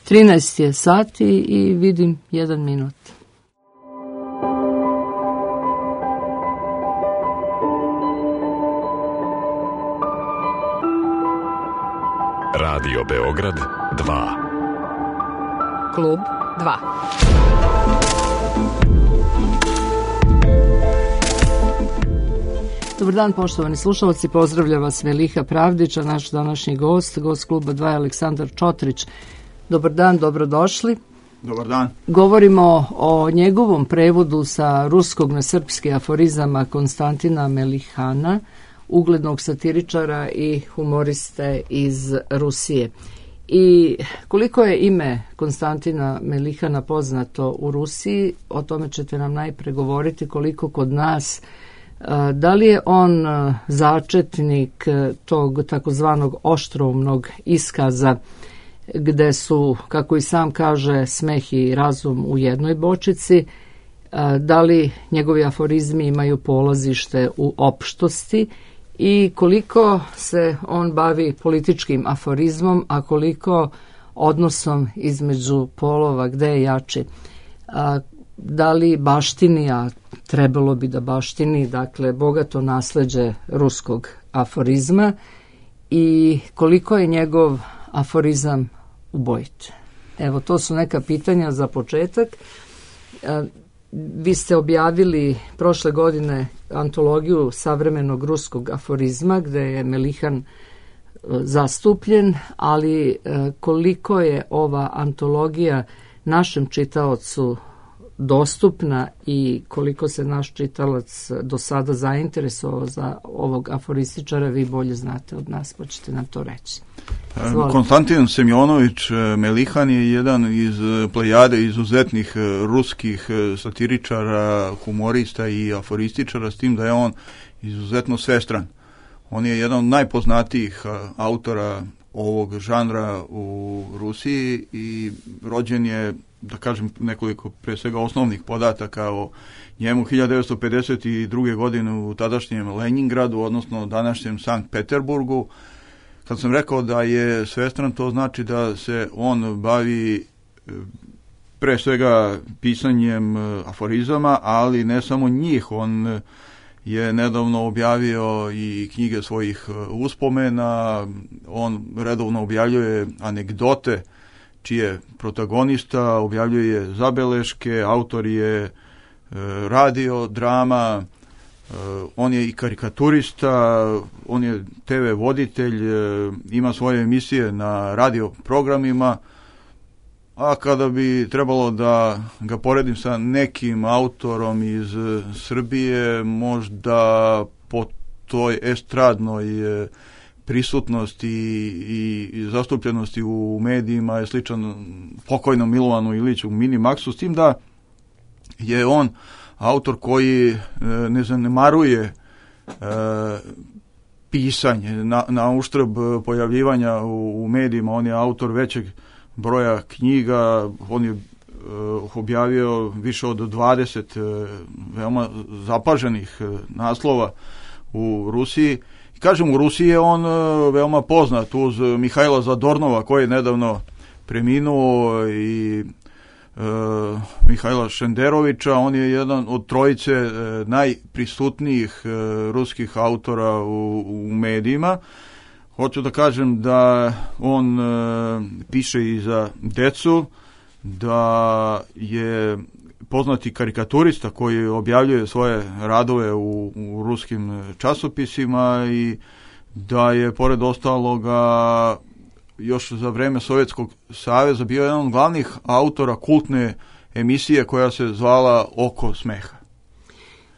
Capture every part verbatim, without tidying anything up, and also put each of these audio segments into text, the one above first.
trinaest je sati i vidim jedan minut. Radio Beograd dva. Klub dva. Dobar dan, poštovani slušalci, pozdravlja vas Meliha Pravdić, a naš današnji gost, gost kluba dva je Aleksandar Čotrić. Dobar dan, dobrodošli. Dobar dan. Govorimo o njegovom prevodu sa ruskog na srpski aforizama Konstantina Melihana, uglednog satiričara i humoriste iz Rusije. I koliko je ime Konstantina Melihana poznato u Rusiji, o tome ćete nam najpre govoriti, koliko kod nas. Da li je on začetnik tog takozvanog oštroumnog iskaza gde su, kako i sam kaže, smeh i razum u jednoj bočici? Da li njegovi aforizmi imaju polazište u opštosti i koliko se on bavi političkim aforizmom, a koliko odnosom između polova, gde je jači? Da li baštini, a trebalo bi da baštini, dakle, bogato nasleđe ruskog aforizma i koliko je njegov aforizam ubojit? Evo, to su neka pitanja za početak. Vi ste objavili prošle godine antologiju savremenog ruskog aforizma, gde je Melihan zastupljen, ali koliko je ova antologija našem čitaocu dostupna i koliko se naš čitalac do sada zainteresovao za ovog aforističara, vi bolje znate od nas, pa ćete nam to reći. Zvolite. Konstantin Semjonović Melihan je jedan iz plejade izuzetnih ruskih satiričara, humorista i aforističara, s tim da je on izuzetno svestran. On je jedan od najpoznatijih autora ovog žanra u Rusiji i rođen je, da kažem nekoliko pre svega osnovnih podataka o njemu, hiljadu devetsto pedeset druge. godine u tadašnjem Leningradu, odnosno današnjem Sankt Peterburgu. Kad sam rekao da je svestran, to znači da se on bavi pre svega pisanjem aforizama, ali ne samo njih. On je nedavno objavio i knjige svojih uspomena, on redovno objavljuje anegdote čije protagonista, objavljuje zabeleške, autor je radio, drama, on je i karikaturista, on je te ve voditelj, ima svoje emisije na radio programima, a kada bi trebalo da ga poredim sa nekim autorom iz Srbije, možda po toj estradnoj prisutnosti i, i zastupljenosti u medijima je sličan pokojnom Milovanu Iliću u Minimaksu, s tim da je on autor koji ne zanemaruje e, pisanje na, na uštrb pojavljivanja u, u medijima. On je autor većeg broja knjiga, on je e, objavio više od dvadeset e, veoma zapaženih e, naslova u Rusiji. I kažem, u Rusiji je on e, veoma poznat uz Mihajla Zadornova, koji je nedavno preminuo, i Uh, Mihajla Šenderovića. On je jedan od trojice uh, najprisutnijih uh, ruskih autora u, u medijima. Hoću da kažem da on uh, piše i za decu, da je poznati karikaturista koji objavljuje svoje radove u, u ruskim časopisima i da je pored ostaloga još za vreme Sovjetskog saveza bio jedan od glavnih autora kultne emisije koja se zvala Oko smeha.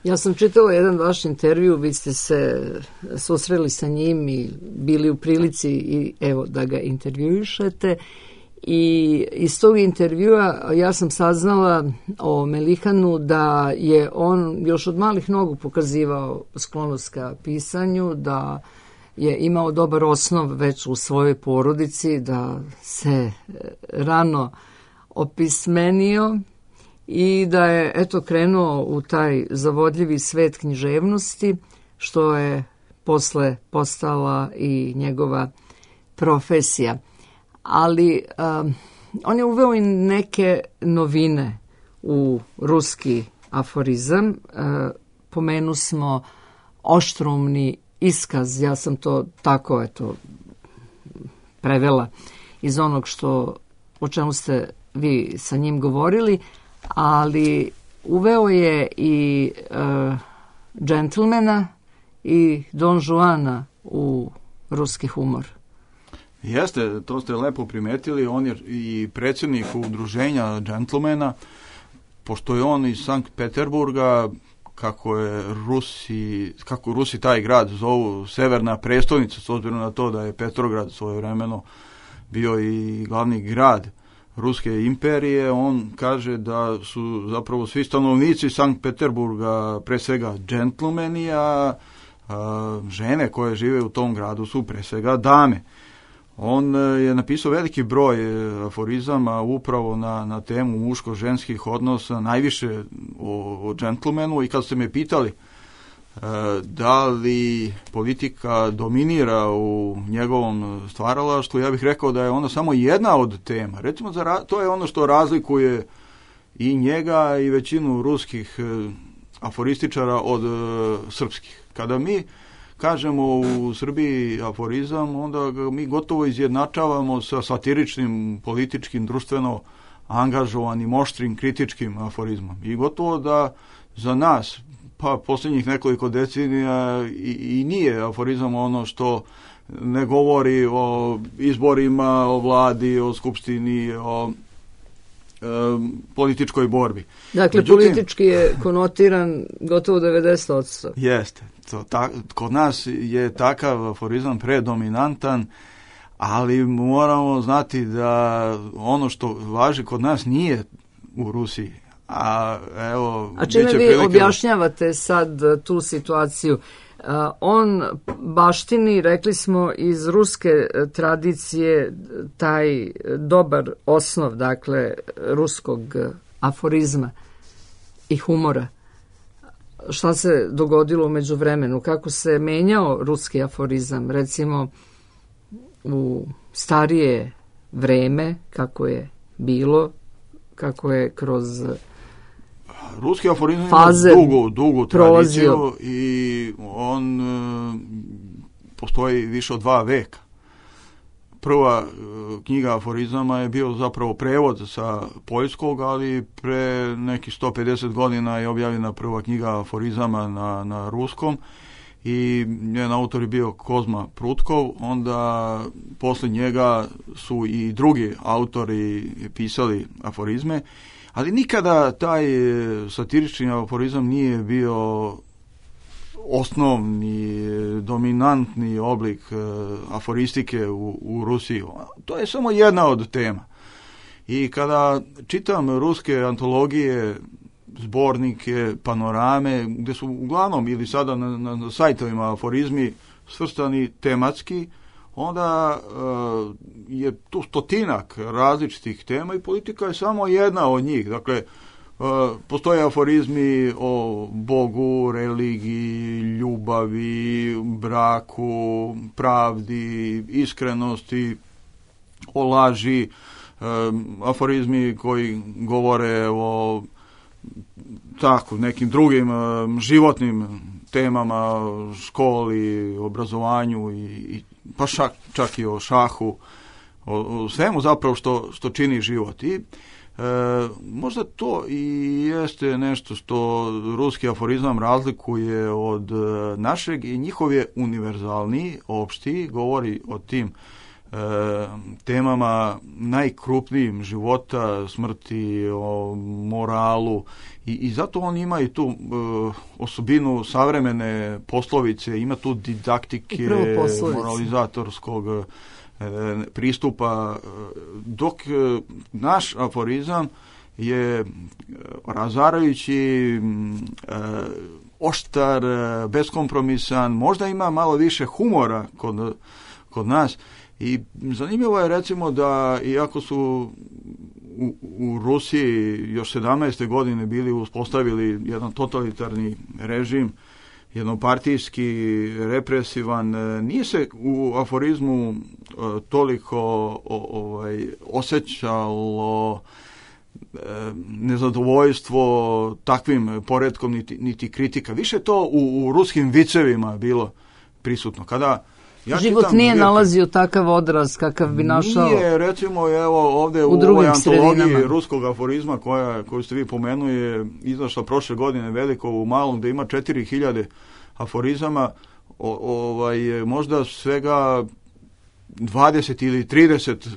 Ja sam čitala jedan vaš intervju, vi ste se susreli sa njim i bili u prilici i evo da ga intervjuišete, i iz tog intervjua ja sam saznala o Melihanu da je on još od malih nogu pokazivao sklonost ka pisanju, da je imao dobar osnov već u svojoj porodici, da se rano opismenio i da je eto krenuo u taj zavodljivi svet književnosti, što je posle postala i njegova profesija. Ali um, on je uveo i neke novine u ruski aforizam. E, pomenu smo oštroumni iskaz, ja sam to tako eto prevela iz onog što o čemu ste vi sa njim govorili, ali uveo je i e, džentlmena i Don Juana u ruski humor. Jeste, to ste lepo primetili, on je i predsjednik udruženja džentlmena, pošto je on iz Sankt Peterburga, kako je Rusi, kako Rusi taj grad zovu severna prestolnica, s obzirom na to da je Petrograd svojevremeno bio i glavni grad Ruske imperije, on kaže da su zapravo svi stanovnici Sankt Peterburga pre svega džentlmeni, a, a žene koje žive u tom gradu su pre svega dame. On je napisao veliki broj aforizama upravo na, na temu muško-ženskih odnosa, najviše o, o džentlmenu, i kad ste me pitali e, da li politika dominira u njegovom stvaralaštvu, ja bih rekao da je ona samo jedna od tema. Recimo, za, to je ono što razlikuje i njega i većinu ruskih e, aforističara od e, srpskih. Kada mi kažemo u Srbiji aforizam, onda ga mi gotovo izjednačavamo sa satiričnim, političkim, društveno angažovanim, oštrim, kritičkim aforizmom. I gotovo da za nas, pa posljednjih nekoliko decenija, i, i nije aforizam ono što ne govori o izborima, o vladi, o skupštini, o e, političkoj borbi. Dakle, Međutim, politički je konotiran gotovo devedeset posto. Jeste. To, ta, kod nas je takav aforizam predominantan, ali moramo znati da ono što važi kod nas nije u Rusiji. A, evo, A čime vi objašnjavate sad tu situaciju? Uh, on baštini, rekli smo, iz ruske tradicije taj dobar osnov, dakle, ruskog aforizma i humora. Šta se dogodilo u međuvremenu? Kako se menjao ruski aforizam? Recimo, u starije vreme, kako je bilo, kako je kroz ruski aforizam faze ima dugu, dugu prolazio. tradiciju i on e, postoji više od dva veka. Prva e, knjiga aforizama je bio zapravo prevod sa poljskog, ali pre nekih sto pedeset godina je objavljena prva knjiga aforizama na, na ruskom i njen autor je bio Kozma Prutkov. Onda posle njega su i drugi autori pisali aforizme, ali nikada taj satirični aforizam nije bio osnovni, dominantni oblik aforistike u, u Rusiji. To je samo jedna od tema. I kada čitam ruske antologije, zbornike, panorame, gde su uglavnom ili sada na, na, na sajtovima aforizmi svrstani tematski, onda uh, je tu stotinak različitih tema i politika je samo jedna od njih. Dakle, uh, postoje aforizmi o Bogu, religiji, ljubavi, braku, pravdi, iskrenosti, o laži, um, aforizmi koji govore o tako nekim drugim um, životnim temama, školi, obrazovanju i, i pa šak, čak i o šahu, o, o svemu zapravo što, što čini život. I e, možda to i jeste nešto što ruski aforizam razlikuje od našeg i njihov je univerzalniji, opštiji, govori o tim e, temama najkrupnijim života, smrti, o moralu i, i zato on ima i tu e, osobinu savremene poslovice, ima tu didaktike, moralizatorskog e, pristupa, dok e, naš aforizam je razarajući, e, oštar, beskompromisan, možda ima malo više humora kod, kod nas. I zanimljivo je recimo da iako su u, u Rusiji još sedamnaeste godine bili uspostavili jedan totalitarni režim, jednopartijski, represivan. Nije se u aforizmu toliko ovaj, osjećalo nezadovoljstvo takvim poretkom niti, niti kritika. Više to u, u ruskim vicevima bilo prisutno. Kada ja život čitam, nije jer, nalazio takav odraz kakav bi našao. Nije, recimo, evo ovdje u, u ovoj antologiji ruskog aforizma koja, koju ste vi pomenuli je izašla prošle godine veliko u malom, gdje ima četiri hiljade aforizama, o, ovaj, možda svega dvadeset ili trideset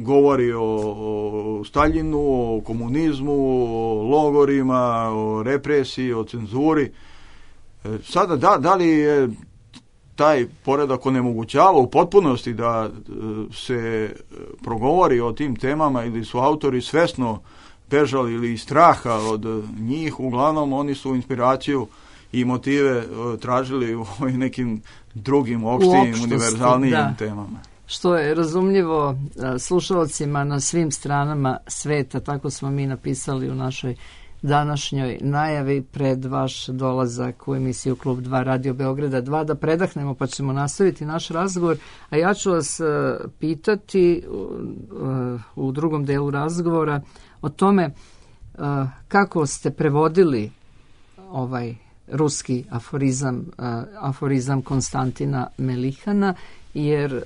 govori o, o Staljinu, o komunizmu, o logorima, o represiji, o cenzuri. Sada, da, da li je taj poredak onemogućava u potpunosti da se progovori o tim temama ili su autori svesno bežali ili iz straha od njih, uglavnom oni su inspiraciju i motive tražili u nekim drugim opštijim, univerzalnijim da. temama. Što je razumljivo slušalcima na svim stranama sveta, tako smo mi napisali u našoj današnjoj najavi pred vaš dolazak u emisiju Klub dva Radio Beograda dva, da predahnemo pa ćemo nastaviti naš razgovor, a ja ću vas pitati u drugom delu razgovora o tome kako ste prevodili ovaj ruski aforizam, aforizam Konstantina Melihana, jer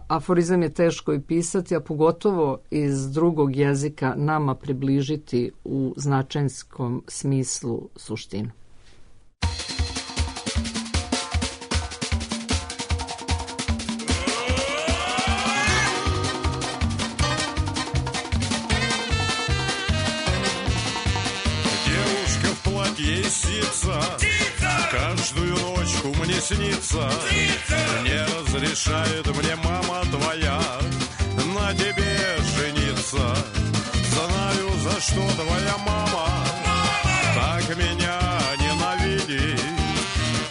aforizam je teško i pisati, a pogotovo iz drugog jezika nama približiti u značajskom smislu suštinu. Каждую ночку мне снится, не разрешает мне мама твоя на тебе жениться. Знаю, за что твоя мама так меня ненавидит.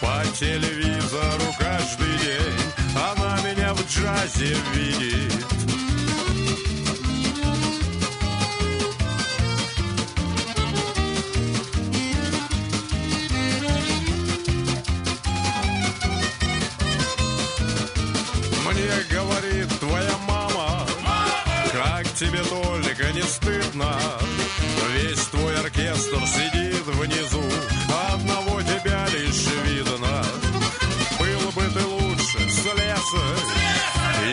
По телевизору каждый день она меня в джазе видит. Говорит твоя мама, мама, как тебе только не стыдно. Весь твой оркестр сидит внизу, одного тебя лишь видно. Был бы ты лучше слесарь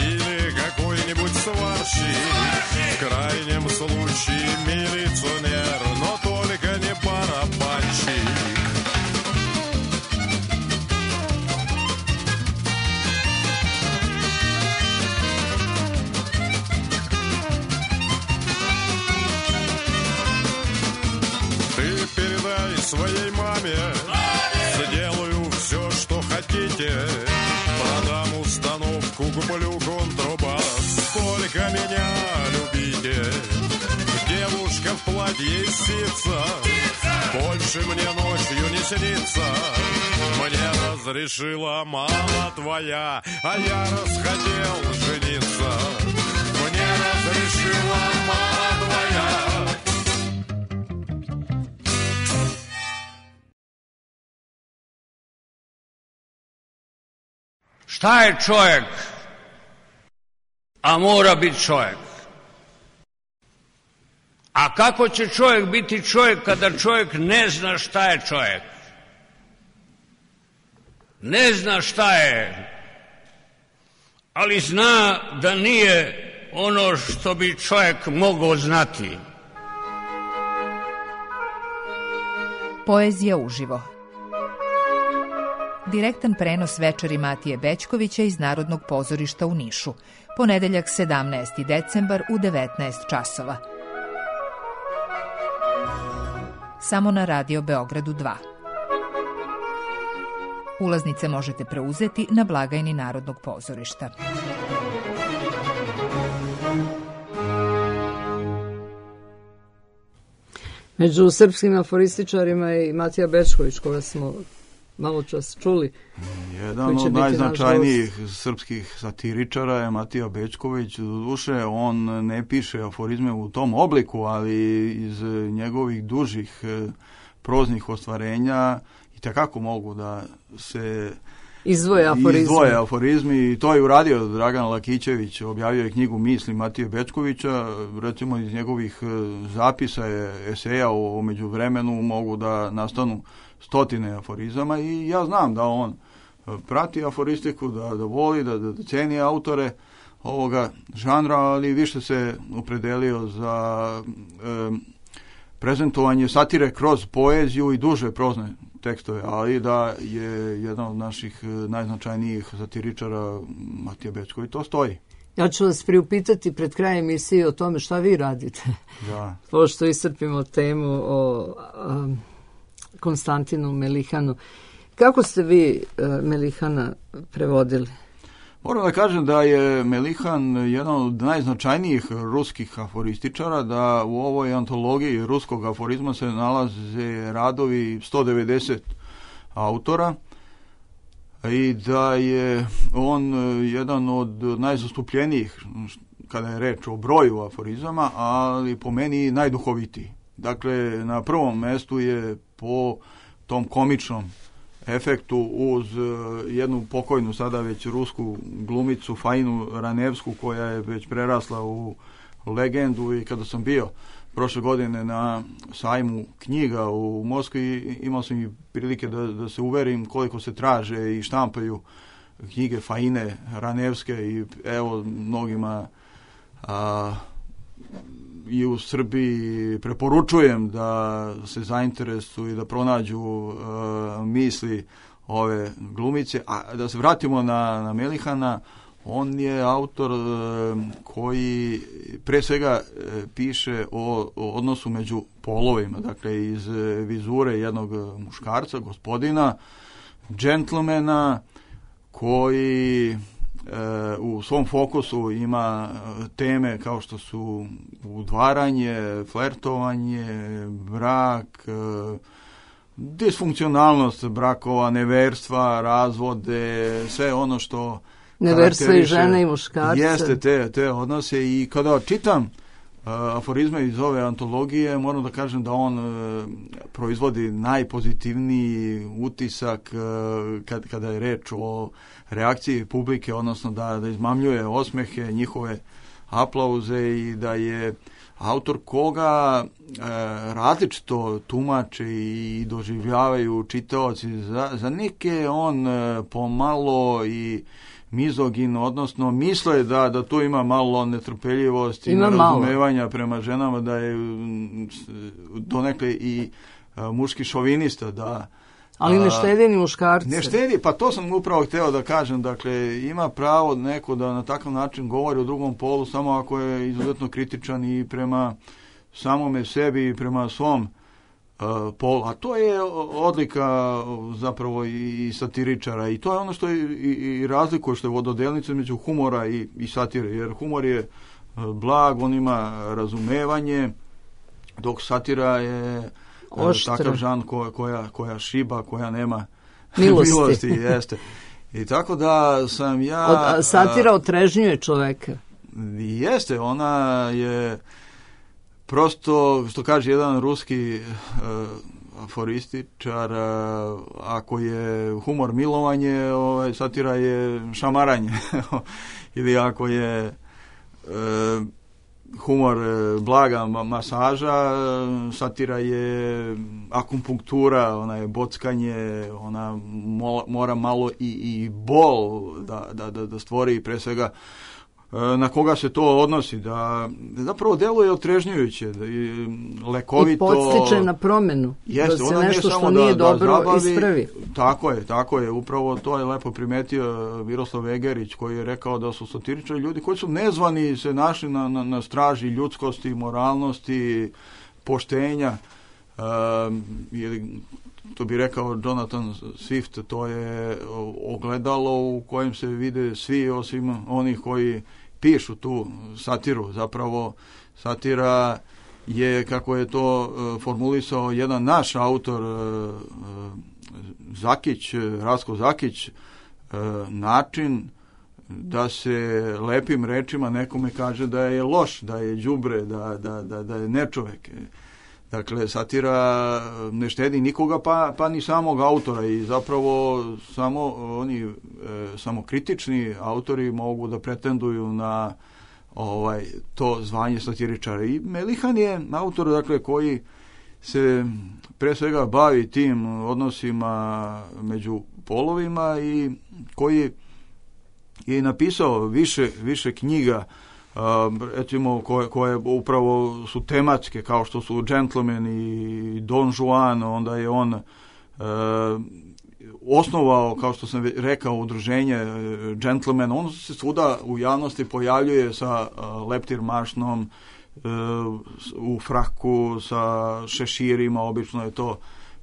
или какой-нибудь сварщик, в крайнем случае милиционер, но только не барабанщик. Своей маме сделаю все, что хотите. Продам установку, куплю контрабас. Только меня любите. Девушка в платье из ситца больше мне ночью не снится. Мне разрешила мама твоя, а я расхотел жениться. Мне разрешила мама твоя. Šta je čovjek, a mora biti čovjek? A kako će čovjek biti čovjek kada čovjek ne zna šta je čovjek? Ne zna šta je, ali zna da nije ono što bi čovjek mogao znati. Poezija uživo. Direktan prenos večeri Matije Bećkovića iz Narodnog pozorišta u Nišu. Ponedeljak sedamnaesti decembar u devetnaest časova. Samo na Radio Beogradu dva. Ulaznice možete preuzeti na blagajni Narodnog pozorišta. Među srpskim aforističarima je i Matija Bećković, koga smo malo čas čuli. Jedan od najznačajnijih srpskih satiričara je Matija Bećković. Doduše, on ne piše aforizme u tom obliku, ali iz njegovih dužih proznih ostvarenja i itekako mogu da se Izdvoje aforizmi. Izdvoje aforizmi i to je uradio Dragan Lakićević, objavio je knjigu Misli Matije Bećkovića, recimo iz njegovih zapisa je eseja o, o međuvremenu mogu da nastanu stotine aforizama i ja znam da on prati aforistiku, da, da voli, da, da ceni autore ovoga žanra, ali više se opredelio za e, prezentovanje satire kroz poeziju i duže prozne tekstove, ali da je jedan od naših najznačajnijih satiričara Matija Bećković, to stoji. Ja ću vas priupitati pred krajem emisije o tome šta vi radite. Da. Pošto iscrpimo temu o um, Konstantinu Melihanu. Kako ste vi uh, Melihana prevodili? Moram da kažem da je Melihan jedan od najznačajnijih ruskih aforističara, da u ovoj antologiji ruskog aforizma se nalaze radovi sto devedeset autora i da je on jedan od najzastupljenijih kada je reč o broju aforizama, ali po meni najduhovitiji. Dakle, na prvom mestu je po tom komičnom efektu uz jednu pokojnu sada već rusku glumicu Fainu Ranevsku koja je već prerasla u legendu i kada sam bio prošle godine na sajmu knjiga u Moskvi imao sam i prilike da, da se uverim koliko se traže i štampaju knjige Faine Ranevske i evo mnogima a, i u Srbiji preporučujem da se zainteresuju i da pronađu uh, misli ove glumice. A da se vratimo na, na Melihana, on je autor uh, koji pre svega uh, piše o, o odnosu među polovima, dakle iz uh, vizure jednog muškarca, gospodina, džentlmena, koji u svom fokusu ima teme kao što su udvaranje, flertovanje, brak, disfunkcionalnost brakova, neverstva, razvode, sve ono što neverstva i žene i muškarce. Jeste te, te odnose i kada čitam uh, aforizme iz ove antologije, moram da kažem da on uh, proizvodi najpozitivniji utisak uh, kad, kada je reč o reakciji publike, odnosno da, da izmamljuje osmehe, njihove aplauze i da je autor koga e, različito tumače i doživljavaju čitaoci. Za, za neke on e, pomalo i mizogin, odnosno misle da, da tu ima malo netrpeljivosti i nerazumevanja prema ženama, da je donekle i a, muški šovinista, da ali ne štedi ni muškarce. Ne štedi, pa to sam upravo hteo da kažem. Dakle, ima pravo neko da na takav način govori o drugom polu samo ako je izuzetno kritičan i prema samome sebi i prema svom uh, polu. A to je odlika zapravo i satiričara. I to je ono što je i, i razlikuje, što je vododelnica među humora i, i satire. Jer humor je blag, on ima razumevanje, dok satira je oštra, takav žan ko, koja, koja šiba, koja nema milosti. milosti jeste. I tako da sam ja... Od, satira otrežnjuje čoveka. Jeste, ona je prosto, što kaže jedan ruski uh, aforističar, uh, ako je humor milovanje, ovaj, satira je šamaranje. Ili ako je... Uh, humor blaga masaža, satira je akupunktura, ona je bockanje, ona mora malo i, i bol da, da, da stvori, pre svega na koga se to odnosi, da zapravo deluje otrežnjujuće, da je lekovito. I podstiče na promenu, jeste, da se nešto što nije da, dobro da zabavi, ispravi. Tako je, tako je, upravo to je lepo primetio Miroslav Egerić, koji je rekao da su satiričari ljudi koji su nezvani se našli na, na, na straži ljudskosti, moralnosti, poštenja, um, ili to bi rekao Jonathan Swift, to je ogledalo u kojem se vide svi osim onih koji pišu tu satiru. Zapravo satira je, kako je to uh, formulisao jedan naš autor uh, Zakić, Rasko Zakić, uh, način da se lepim rečima nekome kaže da je loš, da je đubre, da, da, da, da je nečovek. Dakle, satira ne štedi nikoga, pa, pa ni samog autora i zapravo samo oni e, samokritični autori mogu da pretenduju na ovaj to zvanje satiričara. I Melihan je autor, dakle, koji se pre svega bavi tim odnosima među polovima i koji je napisao više, više knjiga, Uh, recimo koje, koje upravo su tematske, kao što su Gentleman i Don Juan. Onda je on uh, osnovao, kao što sam rekao, udruženje Gentleman. On se svuda u javnosti pojavljuje sa uh, leptirmašnom, uh, u fraku, sa šeširima, obično je to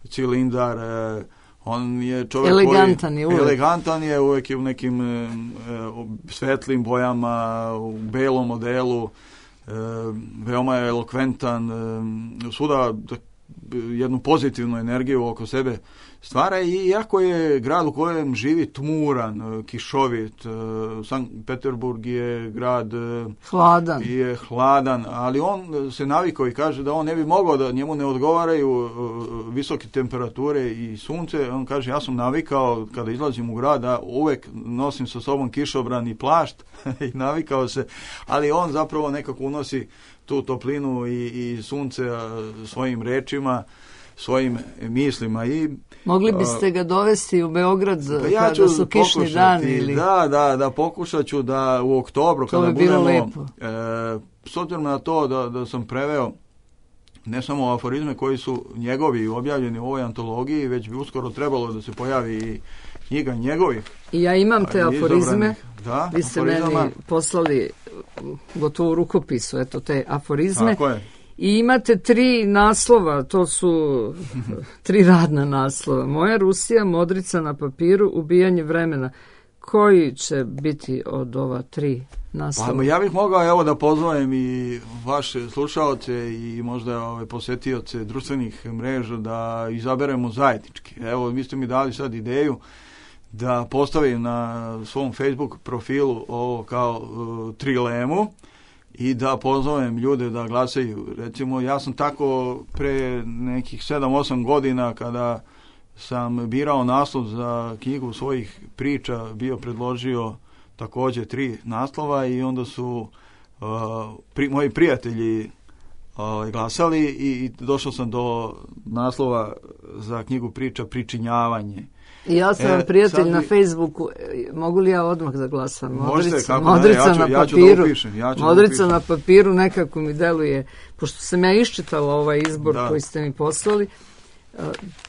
cilindar. Uh, on je čovjek elegantan koji je uvek. elegantan je uvek je u nekim e, svetlim bojama, u belom modelu, e, veoma je elokventan, e, svuda jednu pozitivnu energiju oko sebe stvara, i iako je grad u kojem živi tmuran, kišovit, Sankt Peterburg je grad hladan. je hladan, ali on se navikao i kaže da on ne bi mogao, da njemu ne odgovaraju visoke temperature i sunce. On kaže, ja sam navikao kada izlazim u grad da uvek nosim sa sobom kišobran i plašt i navikao se, ali on zapravo nekako unosi tu toplinu i, i sunce svojim rečima, svojim mislima. I mogli biste ga dovesti u Beograd pa ja kada su kišni dani ili... Da, da, da, pokušat ću da u oktobru, to kada bi bilo budemo, lepo. E, s obzirom na to da, da sam preveo ne samo aforizme koji su njegovi objavljeni u ovoj antologiji, već bi uskoro trebalo da se pojavi i knjiga njegovih. I ja imam te aforizme. Da, vi ste aforizama. Meni poslali gotovo u rukopisu, eto, te aforizme. Tako je. I imate tri naslova, to su tri radna naslova. Moja Rusija, Modrica na papiru, Ubijanje vremena. Koji će biti od ova tri naslova? Pa ja bih mogao evo da pozovem i vaše slušaoce i možda ove posetioce društvenih mreža da izaberemo zajednički. Evo, vi ste mi dali sad ideju da postavim na svom Facebook profilu ovo kao uh, trilemu i da pozovem ljude da glasaju. Recimo, ja sam tako pre nekih sedam osam godina, kada sam birao naslov za knjigu svojih priča, bio predložio takođe tri naslova i onda su uh, pri, moji prijatelji uh, glasali i došao sam do naslova za knjigu priča Pričinjavanje. I ja sam vam e, prijatelj sad... na Facebooku, mogu li ja odmah da glasam? Možete, Modrica, kako modrica ne, ja ću, na ja ću papiru, da upišem, ja ću modrica da na papiru nekako mi deluje, pošto sam ja iščitala ovaj izbor da. koji ste mi poslali,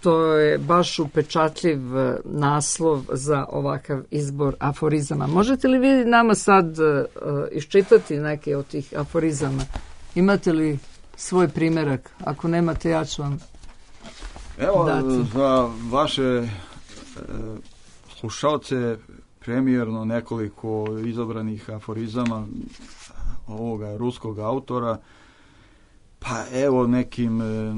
to je baš upečatljiv naslov za ovakav izbor aforizama. Možete li vi nama sad uh, iščitati neke od tih aforizama? Imate li svoj primjerak? Ako nemate, ja ću vam Evo, dati. Za vaše e, slušalce premijerno nekoliko izabranih aforizama ovoga ruskog autora. Pa evo, nekim e,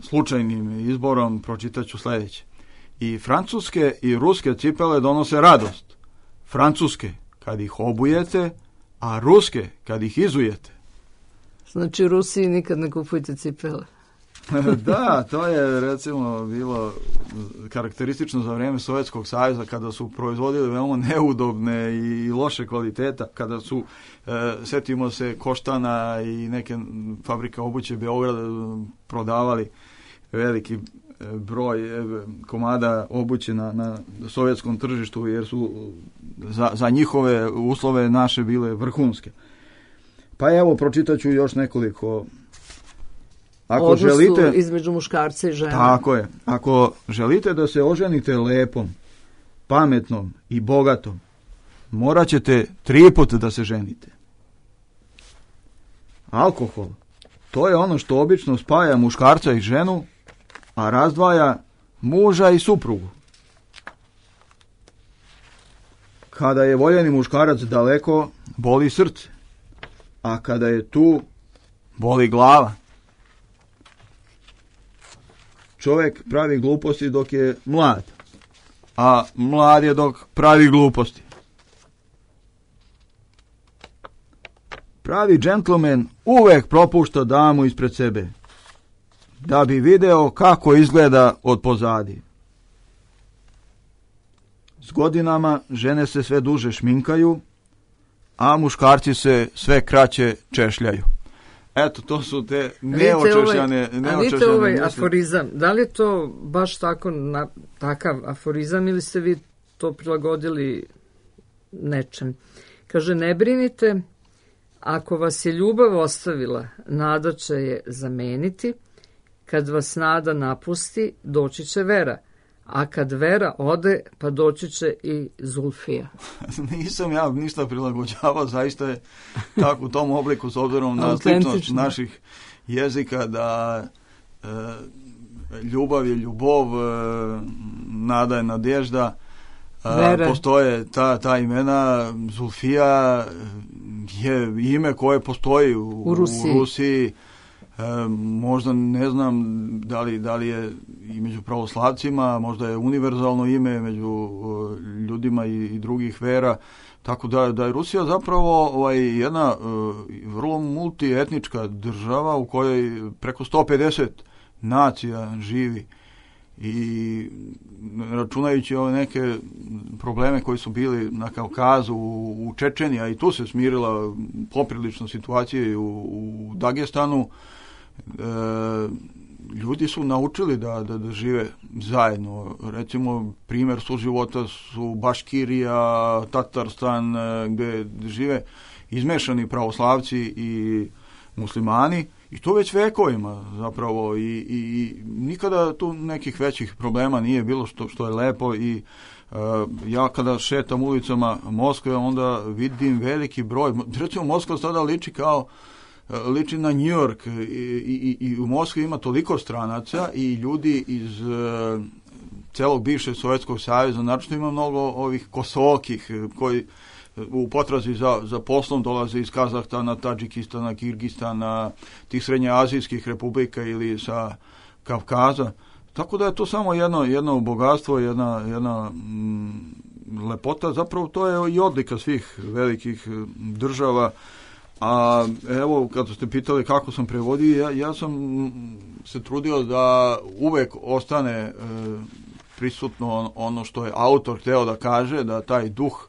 slučajnim izborom pročitat ću sljedeće. I francuske i ruske cipele donose radost. Francuske kad ih obujete, a ruske kad ih izujete. Znači, u Rusiji nikad ne kupujte cipele. Da, to je recimo bilo karakteristično za vrijeme Sovjetskog saveza, kada su proizvodili veoma neudobne i loše kvaliteta, kada su, e, setimo se Koštana i neke fabrika obuće Beograda prodavali veliki broj komada obuće na, na sovjetskom tržištu, jer su za, za njihove uslove naše bile vrhunske. Pa evo, pročitat ću još nekoliko. Ako odnosu želite, između muškarca i žene. Tako je. Ako želite da se oženite lepom, pametnom i bogatom, morat ćete tri puta da se ženite. Alkohol, to je ono što obično spaja muškarca i ženu, a razdvaja muža i suprugu. Kada je voljeni muškarac daleko, boli srce, a kada je tu, boli glava. Čovjek pravi gluposti dok je mlad, a mlad je dok pravi gluposti. Pravi džentlmen uvek propušta damu ispred sebe. da bi video kako izgleda od pozadi. S godinama žene se sve duže šminkaju, a muškarci se sve kraće češljaju. Eto, to su te neočešljane... Ovaj, a vidite ovaj misli. Aforizam, da li je to baš tako na, takav aforizam ili ste vi to prilagodili nečem? Kaže, ne brinite, ako vas je ljubav ostavila, nada će je zameniti, kad vas nada napusti, doći će vera. A kad vera ode, pa doći će i Zulfija. Nisam ja ništa prilagođavao, zaista je tako u tom obliku s obzirom na sličnost naših jezika da e, ljubav je ljubov, e, nada je nadežda, e, postoje ta, ta imena. Zulfija je ime koje postoji u, u Rusiji. U Rusiji. E, možda ne znam da li, da li je i među pravoslavcima, možda je univerzalno ime među uh, ljudima i, i drugih vera, tako da, da je Rusija zapravo ovaj, jedna uh, vrlo multietnička država u kojoj preko sto pedeset nacija živi i računajući ove neke probleme koji su bili na Kavkazu, u, u Čečeniji, a i tu se smirila poprilično situacija u, u Dagestanu. E, ljudi su naučili da, da, da žive zajedno. Recimo, primjer suživota su Baškirija, Tatarstan, gdje žive izmešani pravoslavci i muslimani, i to već vekovima zapravo, i, i, i nikada tu nekih većih problema nije bilo, što, što je lepo. I uh, ja kada šetam ulicama Moskve, onda vidim veliki broj, recimo Moskva sada liči kao liči na New York, i, i, i u Moskvi ima toliko stranaca i ljudi iz uh, celog bivšeg Sovjetskog saveza, naročito ima mnogo ovih kosokih koji u potrazi za, za poslom dolaze iz Kazahstana, Tadžikistana, Kirgistana, tih srednjeazijskih republika ili sa Kavkaza. Tako da je to samo jedno, jedno bogatstvo, jedna, jedna mm, lepota. Zapravo to je i odlika svih velikih država. A evo, kad ste pitali kako sam prevodio, ja, ja sam se trudio da uvek ostane e, prisutno ono što je autor hteo da kaže, da taj duh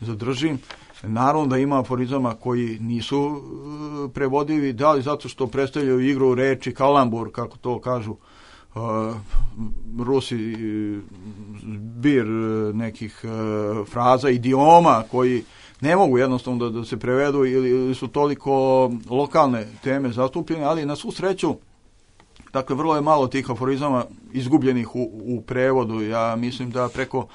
zadržim. Naravno da ima aforizama koji nisu e, prevodivi, da li zato što predstavljaju igru reči, kalambur, kako to kažu e, Rusi, zbir nekih e, fraza, idioma koji ne mogu jednostavno da, da se prevedu ili, ili su toliko lokalne teme zastupljene, ali na svu sreću, dakle, vrlo je malo tih aforizama izgubljenih u, u prevodu. Ja mislim da preko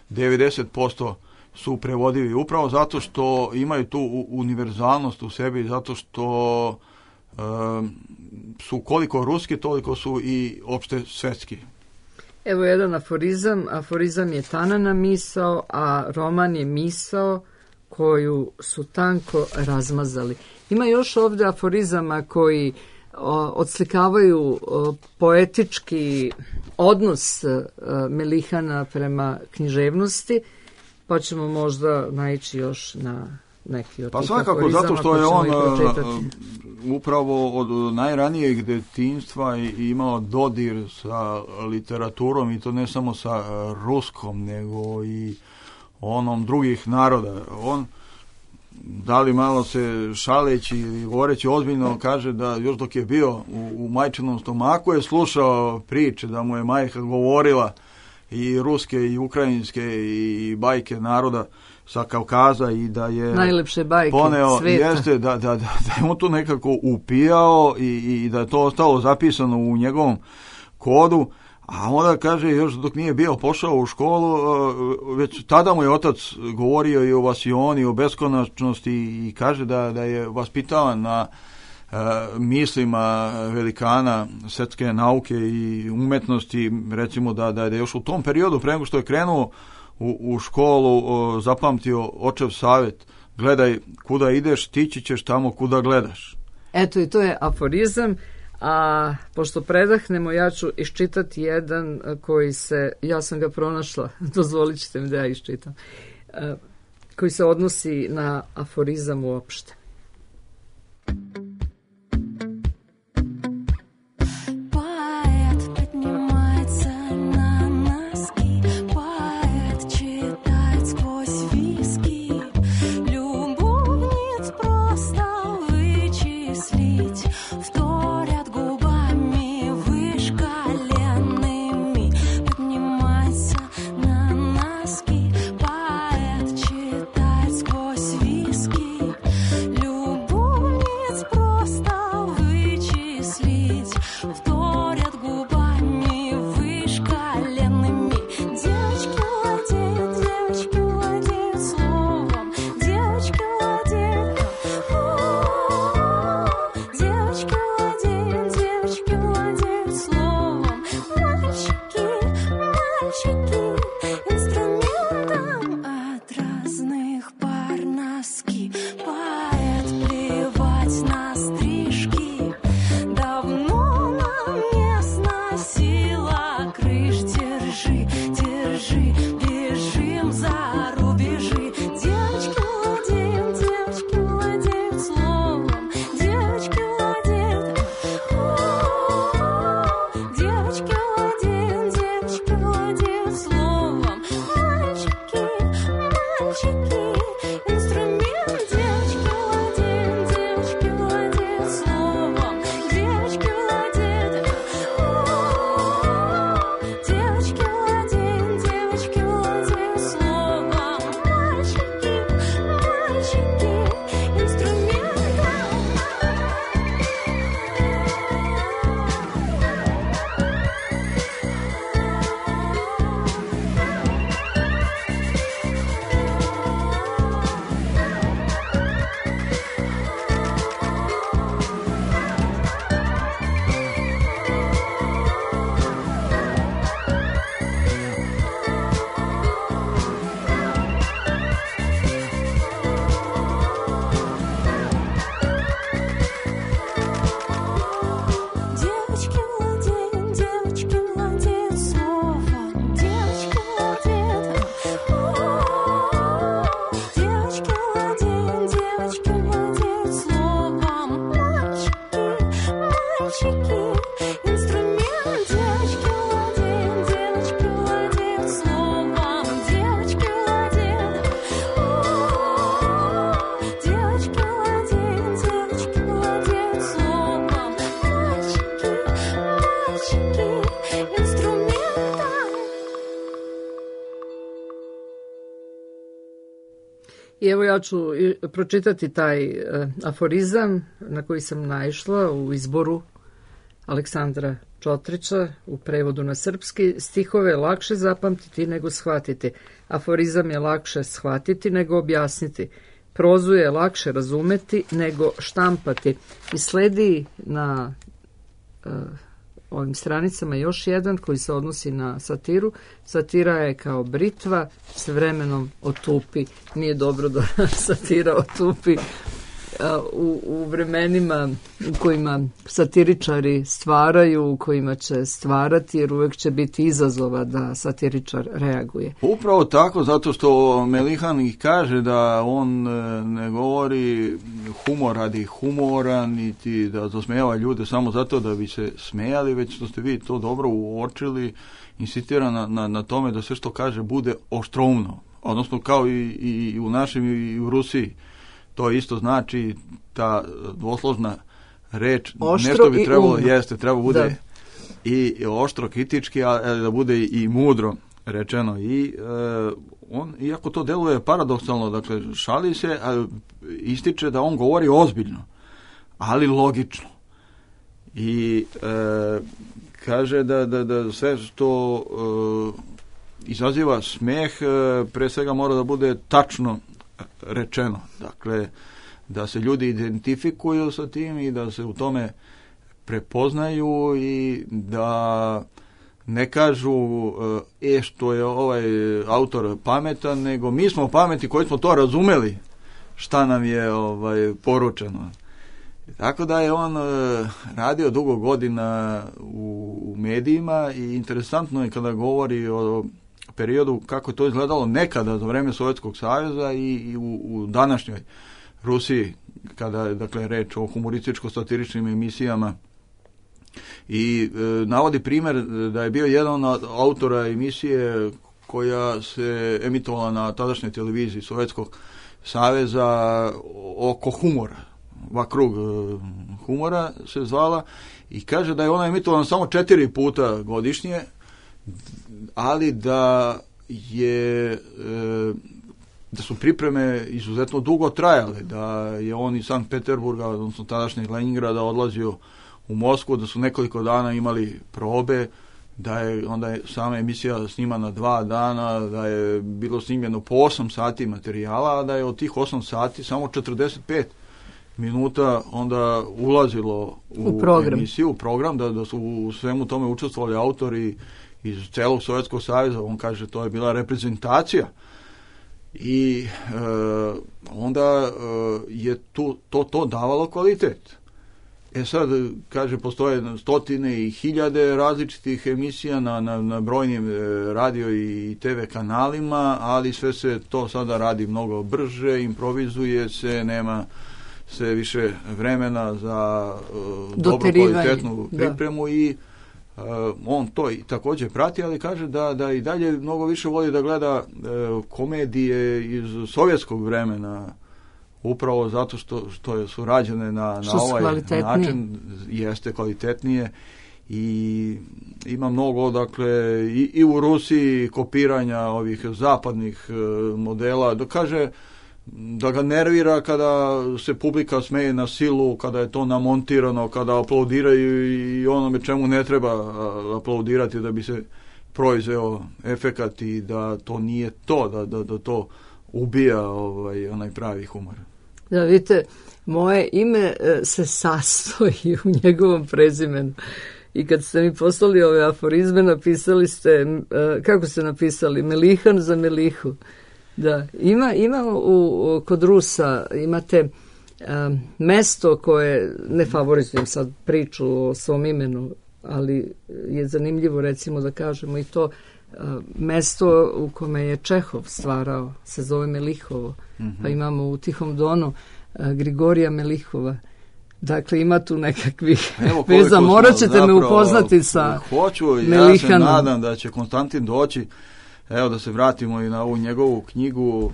devedeset posto su prevodivi upravo zato što imaju tu univerzalnost u sebi, zato što e, su koliko ruski, toliko su i opšte svetski. Evo jedan aforizam. Aforizam je tanana misao, a roman je misao koju su tanko razmazali. Ima još ovdje aforizama koji o, odslikavaju o, poetički odnos o, Melihana prema književnosti, pa ćemo možda naići još na neki od pa tih svakako, aforizama. Zato što je on upravo od najranijeg detinjstva imao dodir sa literaturom, i to ne samo sa ruskom, nego i onom drugih naroda. On, da li malo se šaleći ili govoreći ozbiljno, kaže da još dok je bio u, u majčinom stomaku je slušao priče, da mu je majka govorila i ruske i ukrajinske i bajke naroda sa Kavkaza, i da je najlepše bajke poneo, sveta. Jeste, da, da, da, da je on to nekako upijao i, i da je to ostalo zapisano u njegovom kodu. A onda kaže, još dok nije bio pošao u školu, već tada mu je otac govorio i o vasioni, o beskonačnosti, i kaže da, da je vaspitavan na uh, mislima velikana svetske nauke i umetnosti, recimo da, da je još u tom periodu, pre nego što je krenuo u, u školu, uh, zapamtio očev savjet: gledaj kuda ideš, tići ćeš tamo kuda gledaš. Eto, i to je aforizam. A pošto predahnemo, ja ću iščitati jedan koji se, ja sam ga pronašla, dozvolit ćete mi da ja iščitam, koji se odnosi na aforizam uopšte. I evo ja ću pročitati taj uh, aforizam na koji sam naišla u izboru Aleksandra Čotrića u prevodu na srpski. Stihove je lakše zapamtiti nego shvatiti. Aforizam je lakše shvatiti nego objasniti. Prozu je lakše razumeti nego štampati. I sledi na uh, ovim stranicama još jedan koji se odnosi na satiru. Satira je kao britva, s vremenom otupi. Nije dobro da satira otupi u, u vremenima u kojima satiričari stvaraju, u kojima će stvarati, jer uvek će biti izazova da satiričar reaguje. Upravo tako, zato što Melihan ih kaže da on ne govori humor radi humora, niti da zasmejava ljude samo zato da bi se smejali, već što ste vi to dobro uočili, insistira na, na, na tome da sve što kaže bude oštroumno, odnosno kao i, i u našem i u Rusiji. To isto znači ta dvosložna reč, oštro nešto bi trebalo, umno. jeste, treba bude da. i oštro kritički, ali da bude i mudro rečeno. I e, on, iako to deluje paradoksalno, dakle, šali se, a ističe da on govori ozbiljno, ali logično. I e, kaže da, da, da sve što e, izaziva smeh, e, pre svega mora da bude tačno rečeno. Dakle, da se ljudi identifikuju sa tim i da se u tome prepoznaju i da ne kažu e što je ovaj autor pametan, nego mi smo pameti koji smo to razumeli šta nam je ovaj poručeno. Tako da je on radio dugo godina u, u medijima i interesantno je kada govori o periodu kako je to izgledalo nekada za vreme Sovjetskog saveza i, i u, u današnjoj Rusiji, kada je, dakle, reč o humorističko-satiričnim emisijama. I e, navodi primjer da je bio jedan od autora emisije koja se emitovala na tadašnjoj televiziji Sovjetskog saveza oko humora. Vakrug humora se zvala i kaže da je ona emitovala samo četiri puta godišnje, ali da je e, da su pripreme izuzetno dugo trajale, da je on iz Sankt Peterburga, odnosno tadašnjeg Leningrada, odlazio u Moskvu, da su nekoliko dana imali probe, da je onda je sama emisija snimana dva dana, da je bilo snimljeno po osam sati materijala, a da je od tih osam sati samo četrdeset pet minuta onda ulazilo u, u program. emisiju, u program, da, da su u svemu tome učestvovali autori iz celog Sovjetskog saveza. On kaže to je bila reprezentacija i e, onda e, je tu, to, to davalo kvalitet. E sad, kaže, postoje stotine i hiljade različitih emisija na, na, na brojnim e, radio i te ve kanalima, ali sve se to sada radi mnogo brže, improvizuje se, nema se više vremena za e, dobro kvalitetnu pripremu. Da. I Uh, on to i također prati, ali kaže da, da i dalje mnogo više voli da gleda uh, komedije iz sovjetskog vremena, upravo zato što, što su rađene na, na ovaj način, jeste kvalitetnije i ima mnogo, dakle, i, i u Rusiji kopiranja ovih zapadnih uh, modela, da kaže da ga nervira kada se publika smeje na silu, kada je to namontirano, kada aplaudiraju i onome čemu ne treba aplaudirati da bi se proizveo efekat i da to nije to, da, da, da to ubija ovaj, onaj pravi humor. Da, vidite, moje ime se sastoji u njegovom prezimenu. I kad ste mi poslali ove aforizme, napisali ste, kako ste napisali, Melihan za Melihu. Da, ima, ima u, kod Rusa imate um, mesto koje, ne favorizujem sad priču o svom imenu, ali je zanimljivo recimo da kažemo i to, uh, mesto u kome je Čehov stvarao, se zove Melihovo, mm-hmm. Pa imamo u Tihom Donu uh, Grigorija Melihova, Dakle, ima tu nekakvih veza. Morat ćete zapravo, me upoznati sa hoću, Melihanom. Ja se nadam da će Konstantin doći. Evo da se vratimo i na ovu njegovu knjigu.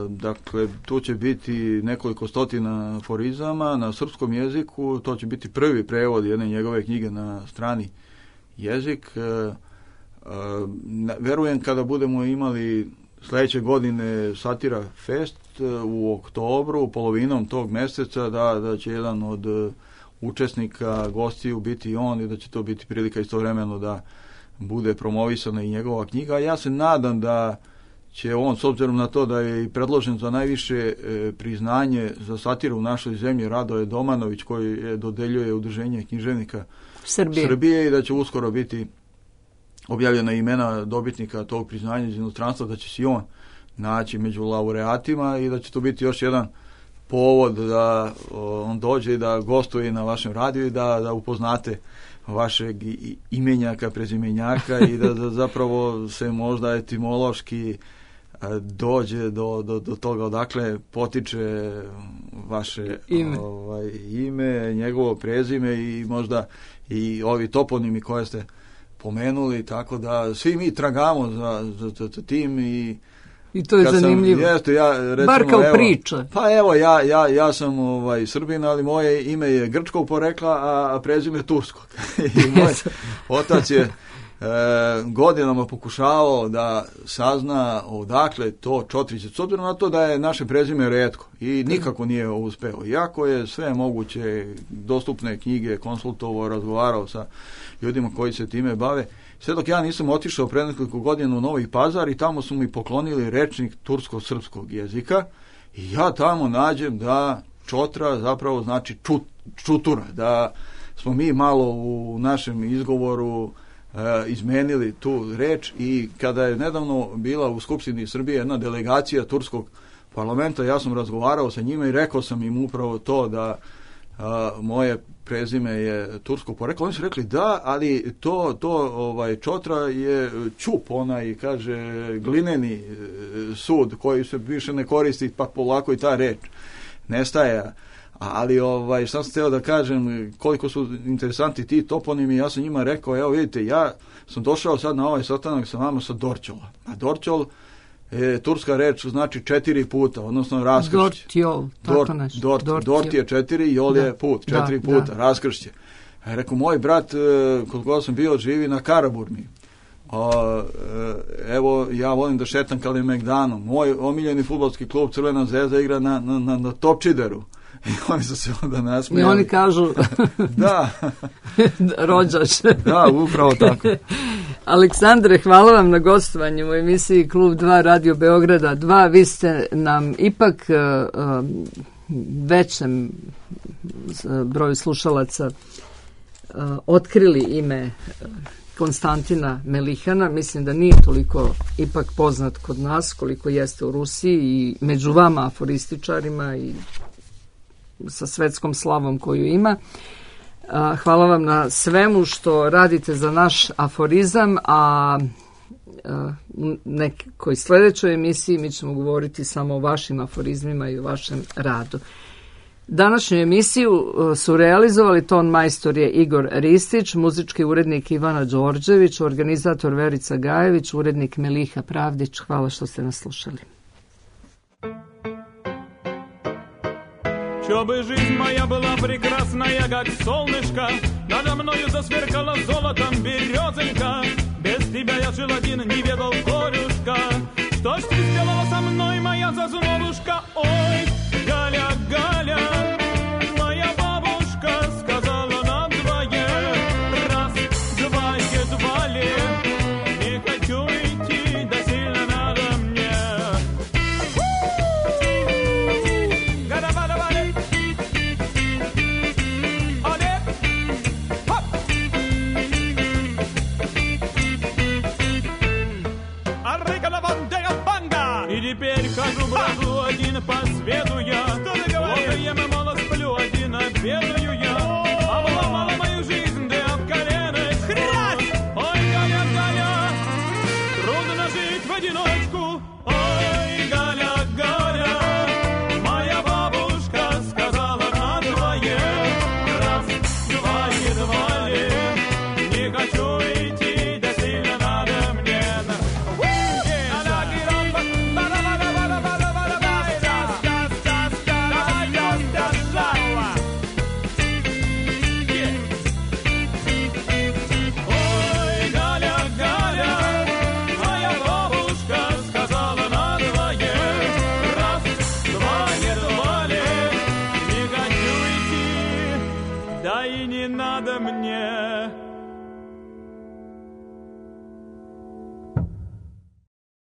Dakle, tu će biti nekoliko stotina aforizama na srpskom jeziku. To će biti prvi prevod jedne njegove knjige na strani jezik. Verujem kada budemo imali sledeće godine Satira Fest u oktobru, polovinom tog meseca, da, da će jedan od učesnika, gostiju biti on i da će to biti prilika istovremeno da bude promovisana i njegova knjiga. Ja se nadam da će on, s obzirom na to da je i predložen za najviše e, priznanje za satiru u našoj zemlji, Radoje Domanović, koji je dodeljuje Udruženje književnika Srbije. Srbije i da će uskoro biti objavljena imena dobitnika tog priznanja iz inostranstva, da će se on naći među laureatima i da će to biti još jedan povod da o, on dođe i da gostuje na vašem radiju i da, da upoznate vašeg imenjaka, prezimenjaka i da, da zapravo se možda etimološki dođe do, do, do toga odakle potiče vaše ime. Ovaj, ime, njegovo prezime i možda i ovi toponimi koje ste pomenuli, tako da svi mi tragamo za, za, za tim i I to je zanimljivo. Sam, jeste, ja, recimo, bar kao evo, priča. Pa evo, ja, ja, ja sam ovaj, Srbin, ali moje ime je grčkog porekla, a, a prezime turskog. I moj otac je e, godinama pokušavao da sazna odakle to Čotrić, s obzirom na to da je naše prezime retko i nikako nije uspeo. Iako je sve moguće dostupne knjige konsultovao, razgovarao sa ljudima koji se time bave, sve dok ja nisam otišao pre nekoliko godina u Novi Pazar i tamo su mi poklonili rečnik tursko-srpskog jezika i ja tamo nađem da čotra zapravo znači čut, čutura, da smo mi malo u našem izgovoru e, izmenili tu reč i kada je nedavno bila u Skupštini Srbije jedna delegacija turskog parlamenta, ja sam razgovarao sa njima i rekao sam im upravo to da a, moje prezime je tursko poreklo. Oni su rekli da, ali to, to ovaj, čotra je ćup, onaj, kaže, glineni sud koji se više ne koristi, pa polako i ta reč nestaje. Ali ovaj, šta sam hteo da kažem, koliko su interesanti ti toponimi, ja sam njima rekao, evo vidite, ja sam došao sad na ovaj sastanak sa vama sa Dorćola. A Dorćol je turska reč, znači četiri puta, odnosno raskršće. Dortjol, tako nešto. Dort, dort, dort je četiri, jol da. je put, četiri da, puta, da. raskršće. A rekao, moj brat, kod koga sam bio, živi na Karaburmi. A, evo, ja volim da šetam Kalemegdanom. Moj omiljeni fudbalski klub Crvena zvezda igra na, na, na, na Topčideru. I oni su se onda nasmijali. I oni kažu da. rođaš. Da, upravo tako. Aleksandre, hvala vam na gostovanju u emisiji Klub dva Radio Beograda dva. Vi ste nam ipak uh, većem broju slušalaca uh, otkrili ime Konstantina Melihana. Mislim da nije toliko ipak poznat kod nas koliko jeste u Rusiji i među vama aforističarima i sa svetskom slavom koju ima. Hvala vam na svemu što radite za naš aforizam, a u nekoj sledećoj emisiji mi ćemo govoriti samo o vašim aforizmima i o vašem radu. Današnju emisiju su realizovali ton majstor je Igor Ristić, muzički urednik Ivana Đorđević, organizator Verica Gajević, urednik Meliha Pravdić. Hvala što ste nas slušali. Чтобы жизнь моя была прекрасная, как солнышко, надо мною засверкала золотом березонька. Без тебя я жил один, не ведал горюшка. Что ж ты сделала со мной, моя зазулушка? Ой, Галя, Галя.